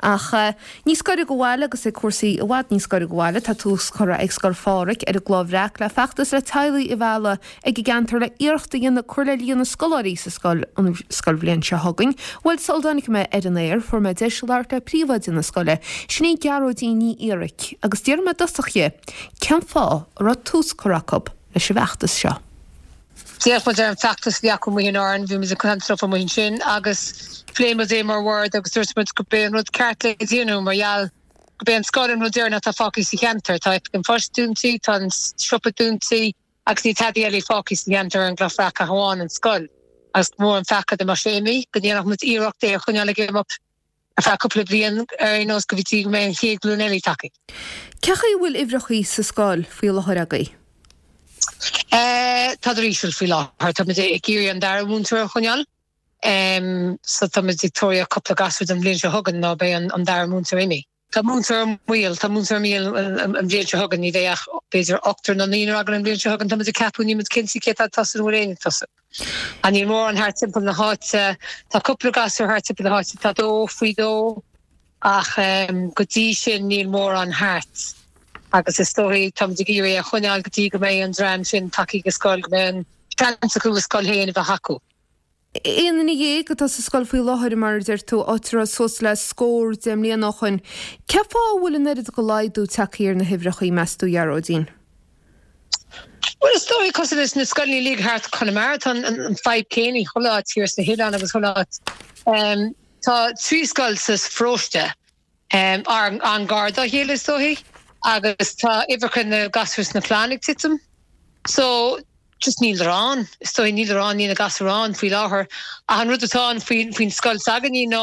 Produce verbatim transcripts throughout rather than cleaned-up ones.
Ach níos gaire do bhaile agus é cúrsaí i bhfad níos gaire do bhaile tá tús curtha ag Scoil Phádraig ar an gCloich Bhreac le feachtas le teaghlaigh a mhealladh ag an gceantar le iarracht a dhéanamh cur le líon na scoláirí sa scoil an scoilbhliain seo chugainn. Bhuel sula dtáinig mé ar an aer fuair mé deis labhairt le príomhoide na scoile, sin í Gearóidín Ní Fhiaraic, agus d'iarr mé i dtosach di cén fáth a raibh tús curtha acu leis an bhfeachtas seo. D'fhéach muid ar an bhfeachtas a bhí acu amuigh in Árainn, bhí muid ag caint leo amuigh ansin agus phléigh muid é mar bhord agus dúirt muid gurb é an rud ceart le déanamh mar gheall gurb é an scoil an rud deireanach atá fágtha sa cheantar. Tá an post dúnta, tá an siopa dúnta agus níl tada eile fágtha sa cheantar ar an gCloich Bhreac ach amháin an scoil. Agus mór an pheaca dá mbeadh sé imithe go ndéanfadh muid iarracht é a choinneáil ag imeacht ar feadh cúpla bliain ar aon nós go dtí go mbeidh an chéad ghlúin eile tagtha. Cé chaoi a bhfuil uimhreachaí sa scoil faoi láthair agaibh? Eh, Tá íseal faoi láthair tá muid ag iarraidh an dara múinteoir a choinneáil. Um, so tá muid ag tógáil cúpla gasúr don bhliain seo chugainn nó beidh an, an dara múinteoir imithe. Tá múinteoir mhaol tá múinteoir mhaol an bhliain seo chugainn ní bheidh ach b'fhéidir ochtar nó naonúr againn an bhliain seo chugainn tá muid ag ceapadh níl muid cinnte cé tá tosú bhfuil éinne tosú. An níl mórán thart timpeall na háite tá cúpla gasúr thart timpeall na háite tá dó faoi dó ach um, go dtí sin níl mórán thart. Agus is dóigh tá ag iarraidh a choinneáil go dtí go mbeidh an dream sin tagtha go scoil go mbeidh an seans acu a scoil féin a bheith acu. Aon duine dhéag atá sa scoil faoi láthair mar deir tú átra suas le scór deich mbliana ó shin. Cén fáth a bhfuil an oiread de laghdú tagtha ar na huimhreachaí meas tú Gearóidín? Well is dóigh cosúil leis na scoileanna uilig thart Conamara tá an, an fadhb céanna chuile áit thiar sna hoileáin agus chuile áit. Um, tá trí scoil sa pharóiste um, ar an gar dá chéile is dóigh agus tá uimhreacha na gasúr sna clann ag titim. So just níl ann is dóigh níl ann níl na gasúir ann faoi láthair ach an rud atá ann faoin faoin scoil s'againne nó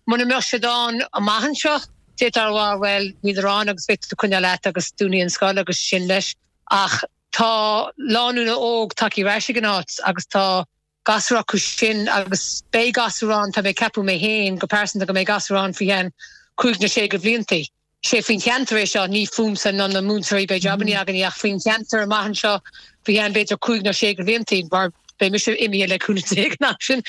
muna mbeadh siad ann amach anseo d'fhéadfá a rá well níl ann agus beidh tú coinneáil leat agus dúnfaidh an scoil agus sin leis ach tá lánúin óg tagtha ar ais ag an áit agus tá gasúir acu sin agus beidh gasúir ann tá mé ceapadh mé féin go pearsanta go mbeidh gasúir ann faoi cheann cúig nó sé de bhliantaí. Sé faoin cheantar é seo ní fúmsa ná na múinteoirí beidh jabanna againn ach faoin cheantar amach anseo faoi cheann b'fhéidir cúig nó sé de bhliantaí mar beidh mise imithe le cúnamh Dé ná sin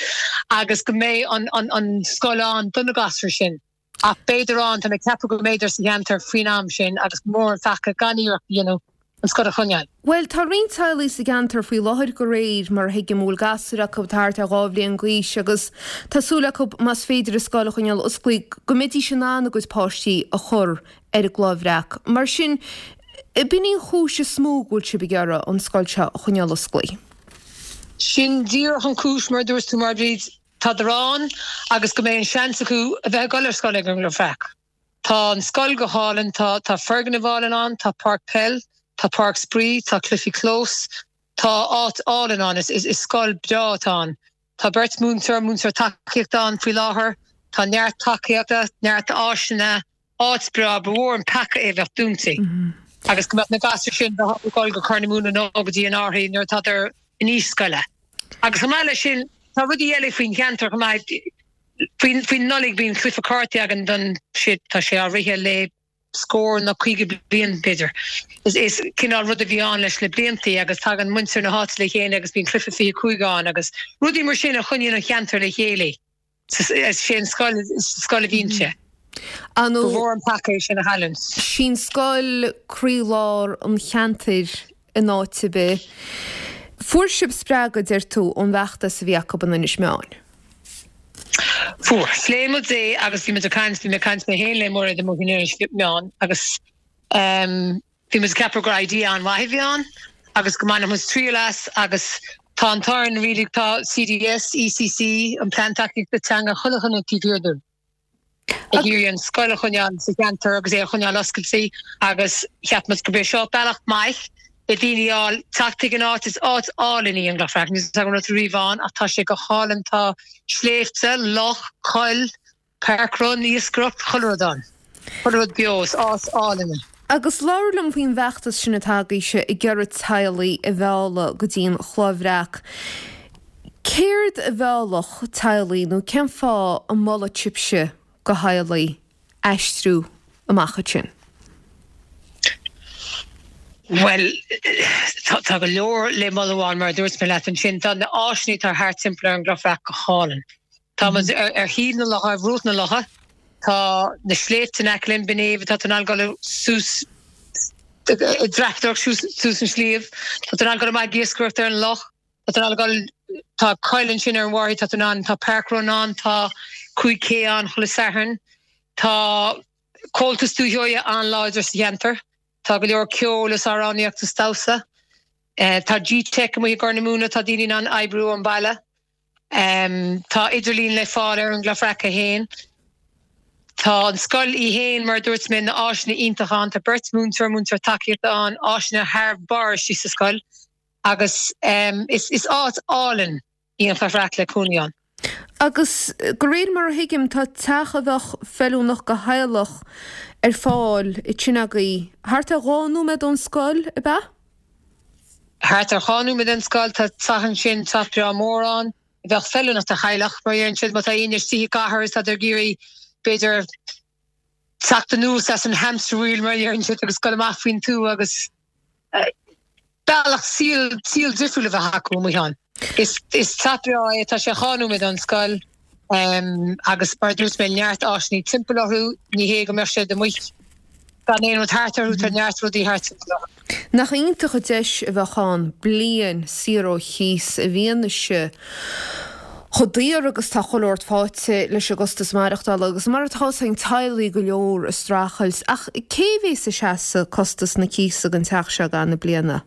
agus go mbeidh an, an, an scoil ann do na gasúir sin. Ach b'fhéidir ann tá mé ceapadh go mb'fhéidir sa cheantar faoin am sin agus mór an pheaca gan iarracht a dhéanamh an scoil a choinneáil. Well tá roinnt teaghlaigh sa gceantar faoi láthair go réir mar thuigim bhfuil gasúir acu thart ar dhá bhliain d'aois agus tá súil acu más féidir an scoil a choinneáil oscailte go mbeidís in ann a gcuid páistí a chur ar an gCloich Bhreac. Mar sin b'in í an chúis is mó go bhfuil sibh ag iarraidh an scoil seo a choinneáil oscailte. Sin díreach an chúis mar dúirt tú mar bríd tá ann agus go mbeidh an seans acu a bheith ag dul ar scoil ag an gCloich Bhreac. Tá an scoil go hálainn tá tá foirgneamh álainn ann, tá páirc peil, tá páirc spraoi, tá cluichí clós, tá áit álainn ann is, is, is scoil breá atá ann. Tá beirt múinteoir múinteoir tacaíochta ann faoi láthair, tá neart tacaíochta, neart áiseanna, áit breá ba mhór an peaca é bheith dúnta. Mm -hmm. Agus go mbeadh na gasúir sin ag dul go Cornamoon nó go dtí an Árthaí nuair atá in aois scoile. Agus chomh maith leis sin tá rudaí eile faoin cheantar chomh maith faoin faoin Nollaig bíonn cluiche cártaí againn don sé tá sé á rith le scór nó caoga bliain b'fhéidir. Is is cineál rud a bhí ann leis le bliantaí agus tagann muintir na háite le chéile agus bíonn cluiche fiche cúig ann agus rudaí mar sin a choinníonn an cheantar le chéile. Is sé an scoil scoil a bhíonn sé. An mhór an peaca sin a chailliúint. Sin scoil croílár an cheantair in áit ar bith. Fuair sibh spreagadh deir tú ón bhfeachtas a bhí acu in Inis Meáin. Fuair phléigh muid é agus bhí muid ag caint bhí mé ag caint mé féin le Muiréad amuigh in Inis Meáin agus um, bhí muid ceapadh gur idea an-mhaith a bhí ann agus go mbainfeadh muid triail as agus tá an t-ádh really tá CDS, ECC an plean tacaíochta teanga chuile dhuine taobh thiar dúinn. Ag iarraidh an scoil a choinneáil sa cheantar agus é a choinneáil oscailte agus cheap muid gurb é seo bealach maith le daoine fháil teacht ag an áit is áit álainn í an Chloich Bhreac níl agam rud riamh ann ach tá sé go hálainn tá sléibhte, loch, coill, parkrun, iascaireacht, chuile rud ann. Chuile rud beo is áit álainn. Agus labhair liom faoin bhfeachtas sin atá agaibhse ag iarraidh teaghlaigh a mhealladh go dtí an Chloich Bhreac. Céard a mheallfadh teaghlaigh nó cén fáth a molfadh sibhse do theaghlaigh aistriú amach ansin? Well tá go leor le moladh ann mar a dúirt mé leat ansin tá na áiseanna atá thart timpeall ar an gCloich Bhreac go hálainn. Tá muid ar, ar thaobh na locha, ar bhruach na locha, Tá na sléibhte in aice linn, Binn Éimhe, tá tú in ann dul suas ag dreapadóireacht suas an sliabh, tá tú in ann dul amach ag iascaireacht ar an loch, tá tú in ann dul, tá coill ansin ar an bhFairche, tá tú in ann, tá Páirc Rónáin, tá cúig K ann chuile Satharn, tá Comhaltas Dúiche Sheoighe an-láidir sa cheantar, tá go leor ceoil is amhránaíocht is damhsa, tá G-Tech amuigh i gCorr na Móna, tá daoine in ann oibriú ón baile. Tá idirlíon le fáil ar an gCloich Bhreac féin. Tá an scoil í fhéin, mar a dúirt mé, na áiseanna iontacha ann. Tá beirt múinteoir, múinteoir tacaíochta ann, áiseanna thar barr istigh sa scoil agus is áit álainn í an Chloich Bhreac le cónaí ann. Agus de réir mar a thuigim, tá teach a bheadh feiliúnach do theaghlach ar fáil ansin agaibh thart ar dhá nóiméad ón scoil, ab ea? Thart ar dhá nóiméad ón scoil, tá teach ansin, teach breá mór ann, a bheadh feiliúnach do theaghlach, mar a deireann siad, má tá éinne istigh i gcathair is tá ag iarraidh, b'fhéidir, teacht anuas as an hamster wheel, mar a deireann siad, agus dul amach faoin tuath agus bealach saol, saol difriúil a bheith acu amuigh ann. Is, is teach breá é, tá sé dhá nóiméad ón scoil agus mar a dúirt mé, neart áiseanna timpeall orthu, ní hé go mbeadh siad amuigh gan aon rud thart orthu, tá neart rudaí thart timpeall orthu. Nach iontach an deis a bheadh ann bliain saor ó chíos i bhfianaise chomh daor agus tá chuile shórt faighte leis an gcostas maireachtála agus mar atá fhios againn teaghlaigh go leor ag streachailt. Ach cé a bhéas ag seasamh costas na cíosa don teach seo i gcaitheamh na bliana?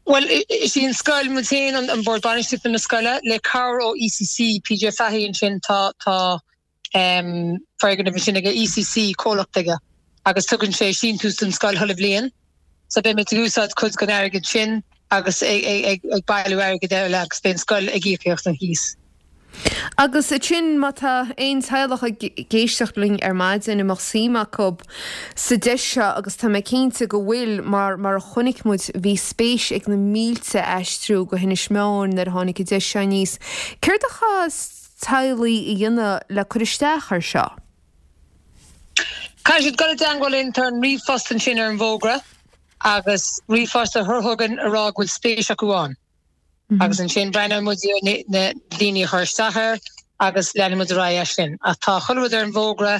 Bhuel, is í an scoil, muid féin, an Bord Bainistíochta na scoile, le cabhair ó ECC, PJ Fahey ansin, tá, tá, foirgneamh ansin aige, ECC, comhlacht aige, agus tugann sé síntiús don scoil chuile bhliain. So beidh muid ag úsáid cuid den airgead sin agus ag bailiú airgid eile agus beidh an scoil ag íocaíocht an chíos. Agus ansin má tá aon teaghlach ag éisteacht linn ar maidin a mbeadh suim acu sa deis seo agus tá mé cinnte go bhfuil mar mar a chonaic muid bhí spéis ag na mílte aistriú go hInis Meáin nuair a tháinig an deis seo aníos. Céard a chaithfeas teaghlaigh a dhéanamh le cur isteach air seo. Caithfidh siad dul i dteangmháil linn, tá an ríomhphost ansin ar an bhfógra agus ríomhphost a chur chugainn a rá go bhfuil spéis acu ann. Agus ansin breathnóidh muid ar na daoine a chuir isteach air agus leanfaidh muid ar aghaidh as sin. Ach tá chuile rud ar an bhfógra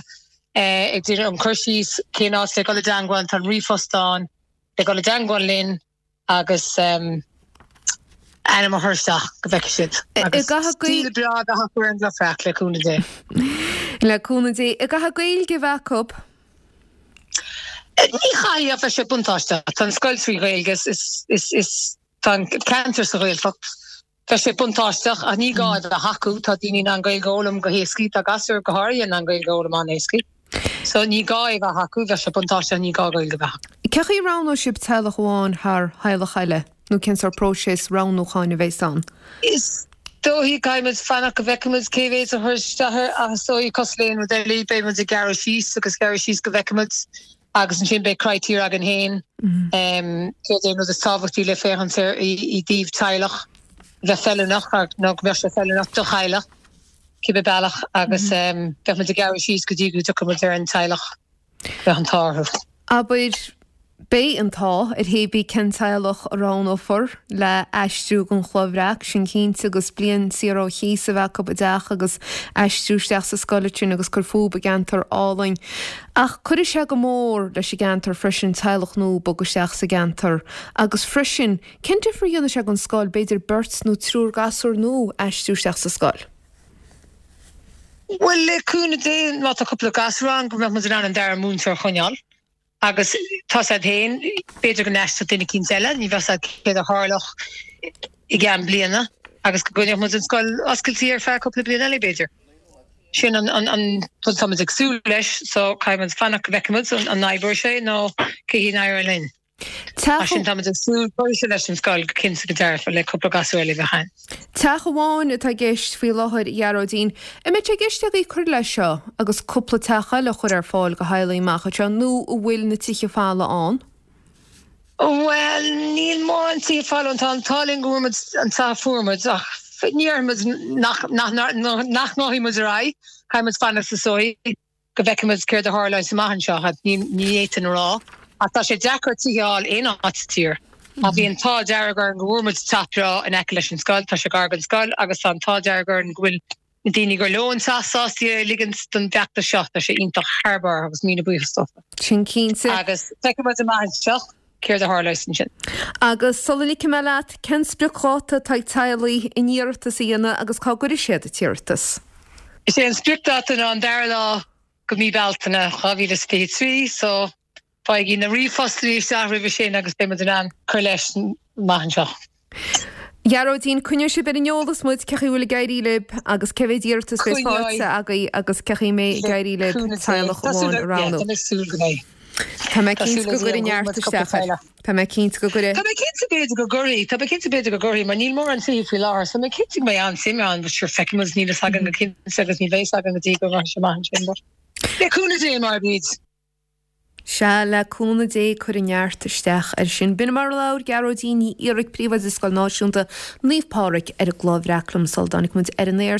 ag déanamh an cur síos cén áit le dul i dteangmháil, tá an ríomhphost ann le dul i dteangmháil linn. agus ainm a chur isteach go bhfeicfidh siad. Agus saol breá a bheith acu ar an gCloich Bhreac, le cúnamh Dé. Le cúnamh Dé. An gcaithfidh Gaeilge a bheith acu? Ní chaithfidh ach bheadh sé buntáisteach. Tá an scoil trí Ghaeilge, is, is, is, tá an ceantar sa Ghaeltacht. Bheadh sé buntáisteach ach ní gá é a bheith acu. Tá daoine in ann Gaeilge a fhoghlaim go héascaí. Tá gasúir go háirithe in ann Gaeilge a fhoghlaim an-éascaí. So ní gá é a bheith acu. Bheadh sé buntáisteach ní gá Gaeilge a bheith acu. Cén chaoi a roghnóidh sibh teaghlach amháin thar theaghlach eile nó cén sórt próiseas roghnúcháin a bheas ann? Is dóichí caithfidh muid fanacht go bhfeicfidh muid cé mhéad a chuir isteach air ach is dóichí cosúil le aon rud eile beidh muid ag gearradh síos agus gearradh síos go bhfeicfidh muid agus ansin beidh critéir againn féin céard é an rud is tábhachtaí le féachaint air i dtaobh teaghlach bheith feiliúnach nó go mbeadh sé feiliúnach do theaghlach cibé bealach agus beidh muid ag gearradh síos go dtí go dtiocfaidh muid ar an teaghlach go mbeadh an t-ádh orthu. Abair, beidh an t-ádh ar hé bith cén teaghlach a roghnófar le aistriú gon Chloich Bhreac, sin cinnte, agus bliain saor ó chíos a bheith acu i dteach agus aistriú isteach sa scoil ansin agus cur fúb i gceantar álainn. Ach cuirfidh sé go mór leis an gceantar freisin teaghlach nua bogadh isteach sa gceantar agus freisin, cén difear a dhéanfaidh sé gon scoil, b'fhéidir beirt nó triúr gasúr nua aistriú isteach sa scoil? Bhuel, le cúnamh Dé, má tá cúpla gasúr ann, go mbeadh muid in ann an dara múinteoir a choinneáil. Agus tá 's a'd féin, b'fhéidir go n-aistreodh duine eicínt eile, ní bheadh 's a'd céard a tharlódh i gceann bliana, agus go gcoinneodh muid an scoil oscailte ar feadh cúpla bliain eile, b'fhéidir. Sin an rud atá muid ag súil leis, so caithfidh muid fanacht go bhfeicfidh muid an n-oibreoidh sé nó cé hí an éireoidh linn. Mar sin tá muid ag súil cuirfidh sé leis an scoil go cinnte go dearfa le cúpla gasúr eile a bheith ann. Teach amháin atá i gceist faoi láthair, a Ghearóidín. An mbeidh sé i gceist agaibh cur leis seo agus cúpla teach eile a chur ar fáil do theaghlaigh amach anseo nó an bhfuil na tithe folamh ann? Bhuel, níl mórán tithe folamh ann. Tá an t-ádh linn go bhfuair muid an teach a fuair muid ach ní déarfaidh muid nach nach ngabhfaidh muid ar aghaidh. Caithfidh muid fanacht is dóigh. go bhfeicfidh muid céard a tharlóidh amach anseo, ní fhéadfainn a rá. Ach tá sé deacair tithe a fháil aon áit sa tír. Ach bhí an t-ádh dearg orainn go bhfuair muid teach breá in aice leis an scoil, tá sé gar don scoil agus tá an t-ádh dearg orainn go bhfuil na daoine gur leo an teach sásta é a ligint don bhfeachtas seo, tá sé iontach thar barr agus míle buíochas dófa. Sin cinnte. Agus feicfidh muid amach anseo céard a tharlós ansin. Agus sula ligfidh mé leat, cén spriocdháta atá ag teaghlaigh chun iarratas a dhéanamh agus cá gcuirfidh siad an t-iarratas? Is é an spriocdháta ná an dara lá de mhí Bealtaine dhá mhíle is fiche trí, so Faighigí na ríomhphostanna isteach roimhe sin agus beidh muid in ann cur leis amach anseo. A Ghearóidín, coinneoidh sibh ar an eolas muid cé chaoi a bhfuil ag éirí libh agus cé mhéad iarratas a bheas faighte agaibh agus cé chaoi a mbeidh ag éirí libh teaghlach amháin a roghnú. Tá mé ag súil go mbeidh. Tá mé cinnte go gcuirfidh neart isteach air. Tá mé cinnte go gcuirfidh. Tá mé cinnte b'fhéidir go gcuirfidh. Tá mé cinnte b'fhéidir go gcuirfidh mar níl mórán tithe faoi láthair so tá mé cinnte go mbeidh an-suim ann but sure feicfidh muid níl fhios againn go cinnte agus ní bheidh fhios againn go dtí go rachaidh sé amach ansin but le cúnamh Dé mar a bíd. Sea, le cúnamh Dé, cuirfidh neart isteach air sin. B'in mar a labhair Gearóidín Ní Fhiaraic, Príomhoide Scoil Náisiúnta Naomh Pádraig ar an gCloich Bhreac liom sula dtáinig muid ar an aer.